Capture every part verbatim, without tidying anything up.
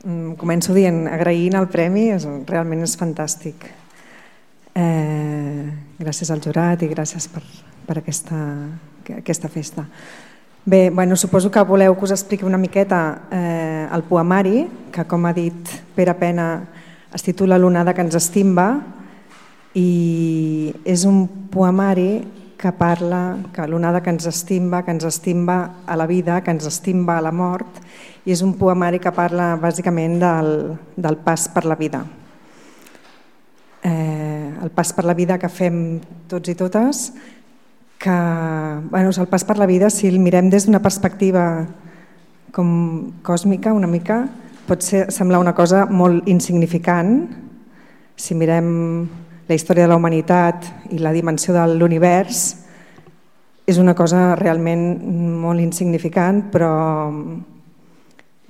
Començo dient, agraint el premi, realment és fantàstic. Gràcies al jurat i gràcies per aquesta festa. Bé, suposo que voleu que us expliqui una miqueta el poemari, que com ha dit Pere Pena es titula L'onada que ens estimba, i és un poemari que parla que l'onada que ens estimba, que ens estimba a la vida, que ens estimba a la mort, i és un poemari que parla bàsicament del pas per la vida. El pas per la vida que fem tots i totes, que el pas per la vida, si el mirem des d'una perspectiva com còsmica una mica, pot semblar una cosa molt insignificant. Si mirem la història de la humanitat i la dimensió de l'univers, és una cosa realment molt insignificant, però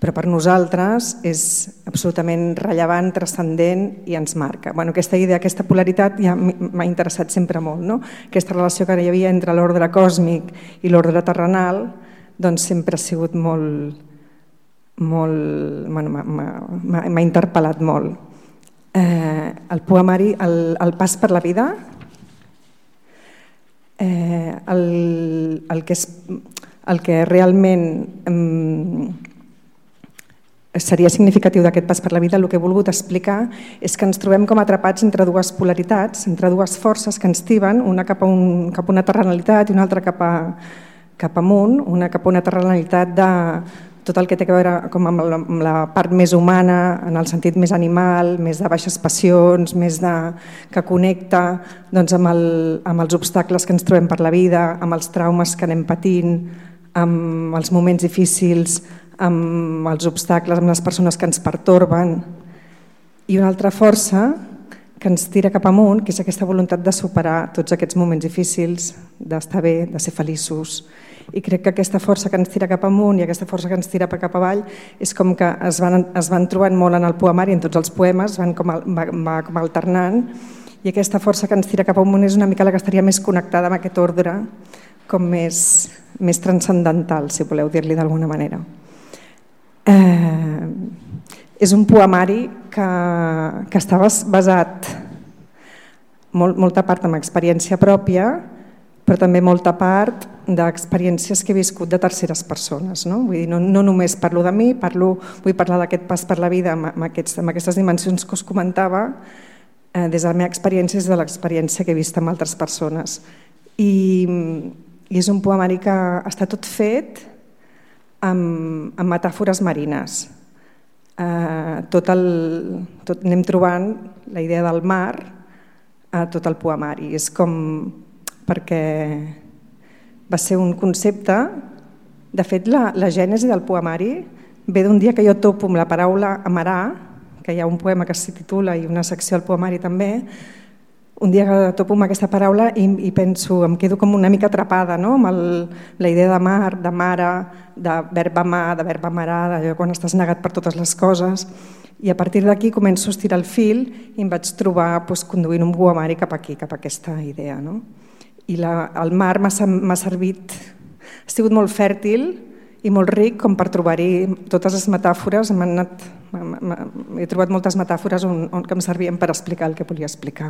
però per nosaltres és absolutament rellevant, transcendent i ens marca. Aquesta idea, aquesta polaritat ja m'ha interessat sempre molt. Aquesta relació que hi havia entre l'ordre còsmic i l'ordre terrenal sempre ha sigut molt... m'ha interpel·lat molt. El poemari, el pas per la vida, el que realment seria significatiu d'aquest pas per la vida, el que he volgut explicar és que ens trobem com atrapats entre dues polaritats, entre dues forces que ens tiben, una cap a una terrenalitat i una altra cap amunt, una cap a una terrenalitat de tot el que té a veure amb la part més humana, en el sentit més animal, més de baixes passions, més que connecta amb els obstacles que ens trobem per la vida, amb els traumes que anem patint, amb els moments difícils, amb els obstacles, amb les persones que ens pertorben, i una altra força que ens tira cap amunt, que és aquesta voluntat de superar tots aquests moments difícils, d'estar bé, de ser feliços. I crec que aquesta força que ens tira cap amunt i aquesta força que ens tira cap avall és com que es van trobant molt en el poemari, en tots els poemes, va com alternant, i aquesta força que ens tira cap amunt és una mica la que estaria més connectada amb aquest ordre, com més transcendental, si voleu dir-li d'alguna manera. És un poemari que està basat molta part en experiència pròpia, però també molta part d'experiències que he viscut de terceres persones. No només parlo de mi, vull parlar d'aquest pas per la vida amb aquestes dimensions que us comentava des de la meva experiència, des de l'experiència que he vist amb altres persones. I és un poemari que està tot fet amb metàfores marines. Anem trobant la idea del mar a tot el poemari. És com perquè va ser un concepte... De fet, la gènesi del poemari ve d'un dia que jo topo amb la paraula amarar, que hi ha un poema que s'hi titula i una secció al poemari també. Un dia que topo amb aquesta paraula i penso, em quedo com una mica atrapada amb la idea de mar, de mare, de verb amar, de verb amarar, d'allò quan estàs negat per totes les coses. I a partir d'aquí començo a estirar el fil i em vaig trobar conduint un poemari cap aquí, cap a aquesta idea. I el mar m'ha servit, ha sigut molt fèrtil i molt ric com per trobar-hi totes les metàfores. He trobat moltes metàfores que em servien per explicar el que volia explicar.